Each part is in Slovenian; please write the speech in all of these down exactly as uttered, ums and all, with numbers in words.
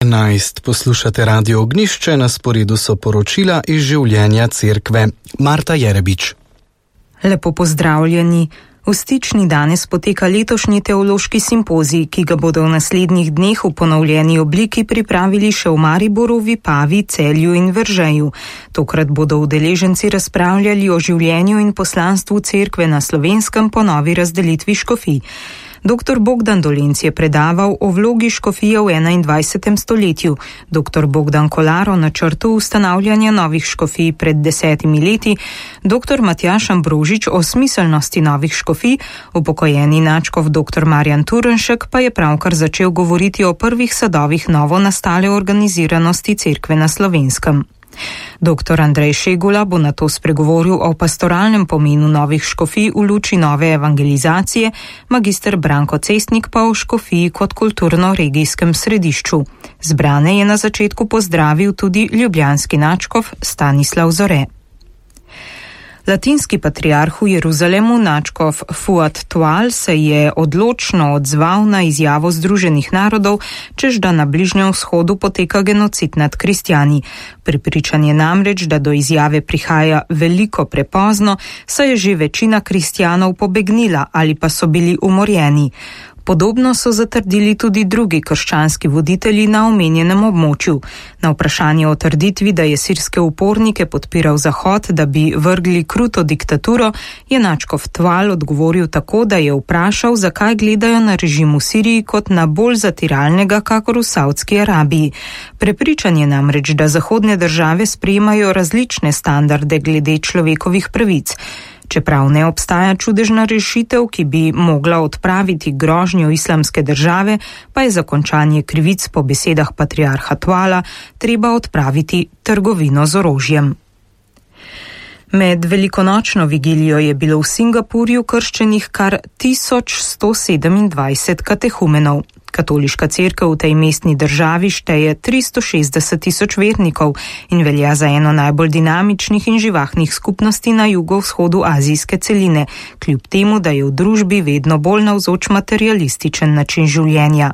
enajst poslušate Radio Ognjišče, na sporedu so poročila iz življenja cerkve. Marta Jerebič. Lepo pozdravljeni. V Stični danes poteka letošnji teološki simpozij, ki ga bodo v naslednjih dneh v ponovljeni obliki pripravili še v Mariboru, Vipavi, Celju in Veržeju. Tokrat bodo udeleženci razpravljali o življenju in poslanstvu cerkve na Slovenskem po novi razdelitvi škofij. Doktor Bogdan Dolenc je predaval o vlogi škofije v enaindvajsetem stoletju, doktor Bogdan Kolar o načrtu ustanavljanja novih škofij pred desetimi leti, doktor Matjaž Ambrožič o smiselnosti novih škofij, upokojeni nadškof doktor Marjan Turnšek pa je pravkar začel govoriti o prvih sadovih novo nastale organiziranosti cerkve na Slovenskem. Doktor Andrej Šegula bo nato spregovoril o pastoralnem pomenu novih škofij v luči nove evangelizacije, magister Branko Cestnik pa o škofiji kot kulturno-regijskem središču. Zbrane je na začetku pozdravil tudi ljubljanski nadškof Stanislav Zore. Latinski patriarh v Jeruzalemu, nadškof Fuad Tual, se je odločno odzval na izjavo Združenih narodov, čež da na Bližnjem vzhodu poteka genocid nad kristjani. Prepričan je namreč, da do izjave prihaja veliko prepozno, saj je že večina kristjanov pobegnila ali pa so bili umorjeni. Podobno so zatrdili tudi drugi krščanski voditelji na omenjenem območju. Na vprašanje o trditvi, da je sirske upornike podpiral Zahod, da bi vrgli kruto diktaturo, je nadškof Tual odgovoril tako, da je vprašal, zakaj gledajo na režim v Siriji kot na bolj zatiralnega, kakor v Saudski Arabiji. Prepričan je namreč, da zahodne države sprejemajo različne standarde glede človekovih pravic. Čeprav ne obstaja čudežna rešitev, ki bi mogla odpraviti grožnjo islamske države, pa je za končanje krivic po besedah patriarha Tuala treba odpraviti trgovino z orožjem. Med velikonočno vigilijo je bilo v Singapurju krščenih kar tisoč sto sedemindvajset katehumenov. Katoliška cerkev v tej mestni državi šteje tristo šestdeset tisoč vernikov in velja za eno najbolj dinamičnih in živahnih skupnosti na jugovzhodu azijske celine, kljub temu, da je v družbi vedno bolj navzoč materialističen način življenja.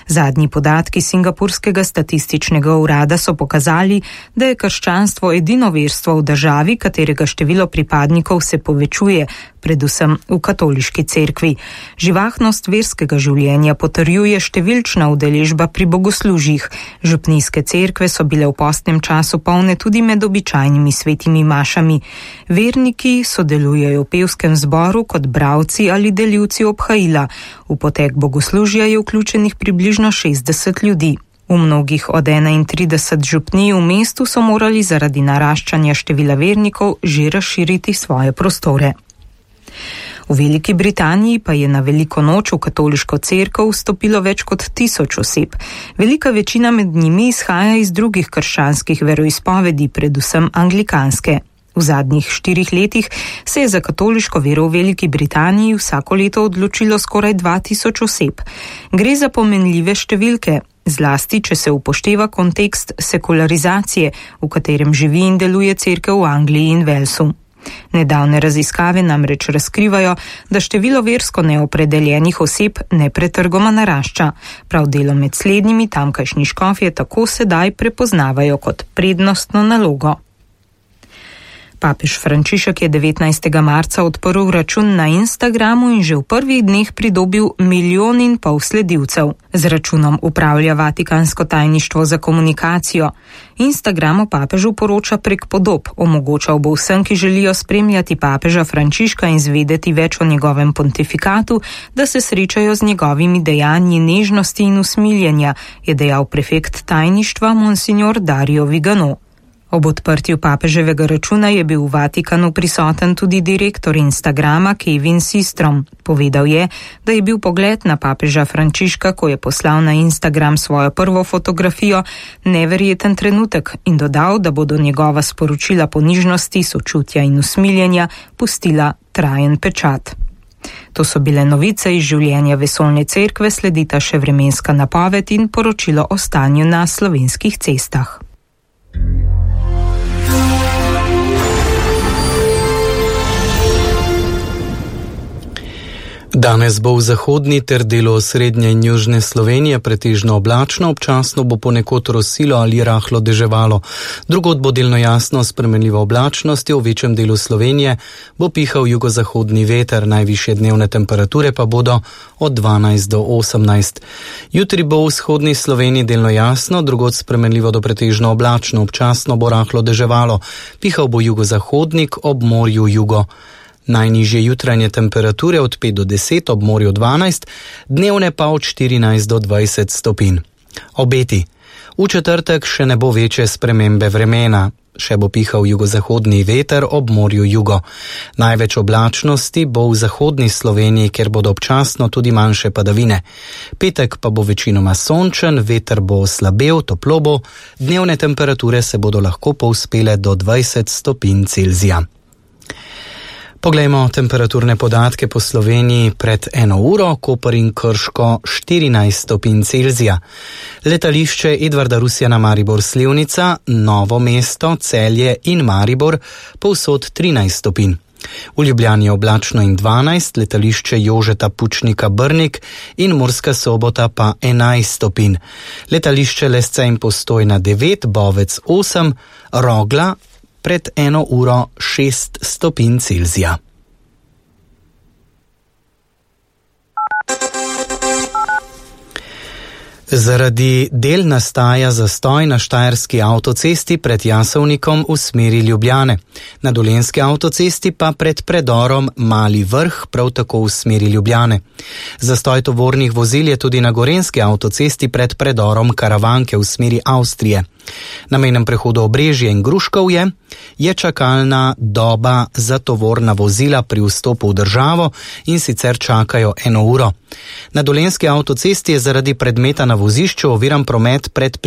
Zadnji podatki Singapurskega statističnega urada so pokazali, da je krščanstvo edino verstvo v državi, katerega število pripadnikov se povečuje, predvsem v katoliški cerkvi. Živahnost verskega življenja potrjuje številčna udeležba pri bogoslužjih. Župnijske cerkve so bile v postnem času polne tudi med običajnimi svetimi mašami. Verniki sodelujejo v pevskem zboru kot bralci ali delivci obhajila. V potek bogoslužja je vključenih približno šestdeset ljudi. V mnogih od enaintrideset župnij v mestu so morali zaradi naraščanja števila vernikov že razširiti svoje prostore. V Veliki Britaniji pa je na veliko noč v katoliško cerkev vstopilo več kot tisoč oseb. Velika večina med njimi izhaja iz drugih krščanskih veroizpovedi, predvsem anglikanske. V zadnjih štirih letih se je za katoliško vero v Veliki Britaniji vsako leto odločilo skoraj dva tisoč oseb. Gre za pomenljive številke, zlasti če se upošteva kontekst sekularizacije, v katerem živi in deluje cerkev v Angliji in Walesu. Nedavne raziskave namreč razkrivajo, da število versko neopredeljenih oseb nepretrgoma narašča. Prav delo med slednjimi tamkajšnji škofje tako sedaj prepoznavajo kot prednostno nalogo. Papež Frančišek je devetnajstega marca odprl račun na Instagramu in že v prvih dneh pridobil milijon in pol sledilcev. Z računom upravlja Vatikansko tajništvo za komunikacijo. Instagram o papežu poroča prek podob, omogočal bo vsem, ki želijo spremljati papeža Frančiška in zvedeti več o njegovem pontifikatu, da se srečajo z njegovimi dejanji nežnosti in usmiljenja, je dejal prefekt tajništva monsignor Dario Vigano. Ob odprtju papeževega računa je bil v Vatikanu prisoten tudi direktor Instagrama Kevin Systrom. Povedal je, da je bil pogled na papeža Frančiška, ko je poslal na Instagram svojo prvo fotografijo, neverjeten trenutek in dodal, da bodo njegova sporočila ponižnosti, sočutja in usmiljenja pustila trajen pečat. To so bile novice iz življenja vesoljne cerkve, sledita še vremenska napoved in poročilo o stanju na slovenskih cestah. Danes bo v zahodni ter delu srednje in južne Slovenije pretežno oblačno, občasno bo ponekod rosilo ali rahlo deževalo. Drugod bo delno jasno spremenljiva oblačnost, v večjem delu Slovenije bo pihal jugozahodni veter, najvišje dnevne temperature pa bodo od dvanajst do osemnajst. Jutri bo v vzhodni Sloveniji delno jasno, drugod spremenljivo do pretežno oblačno, občasno bo rahlo deževalo, pihal bo jugozahodnik, ob morju jugo. Najnižje jutranje temperature od pet do deset, ob morju dvanajst, dnevne pa od štirinajst do dvajset stopinj. Obeti. V četrtek še ne bo večje spremembe vremena. Še bo pihal jugozahodni veter, ob morju jugo. Največ oblačnosti bo v zahodni Sloveniji, kjer bodo občasno tudi manjše padavine. Petek pa bo večinoma sončen, veter bo slabel, toplo bo, dnevne temperature se bodo lahko povzpele do dvajset stopinj Celzija. Poglejmo temperaturne podatke po Sloveniji pred eno uro, Koper in Krško štirinajst stopinj Celzija. Letališče Edvarda Rusjana Maribor Slivnica, Novo mesto, Celje in Maribor povsod trinajst stopinj. V Ljubljani je oblačno in dvanajst, letališče Jožeta Pučnika Brnik in Murska Sobota pa enajst stopinj. Letališče Lesce in Postojna devet, Bovec osem, Rogla pred eno uro šest stopinj Celzija. Zaradi del nastaja zastoj na štajerski avtocesti pred Jasovnikom v smeri Ljubljane. Na dolenjski avtocesti pa pred predorom Mali Vrh, prav tako v smeri Ljubljane. Zastoj tovornih vozil je tudi na gorenjski avtocesti pred predorom Karavanke v smeri Avstrije. Na mejnem prehodu Obrežje in Gruškovje je čakalna doba za tovorna vozila pri vstopu v državo in sicer čakajo eno uro. Na dolenjski avtocesti je zaradi predmeta na vozišču oviran promet pred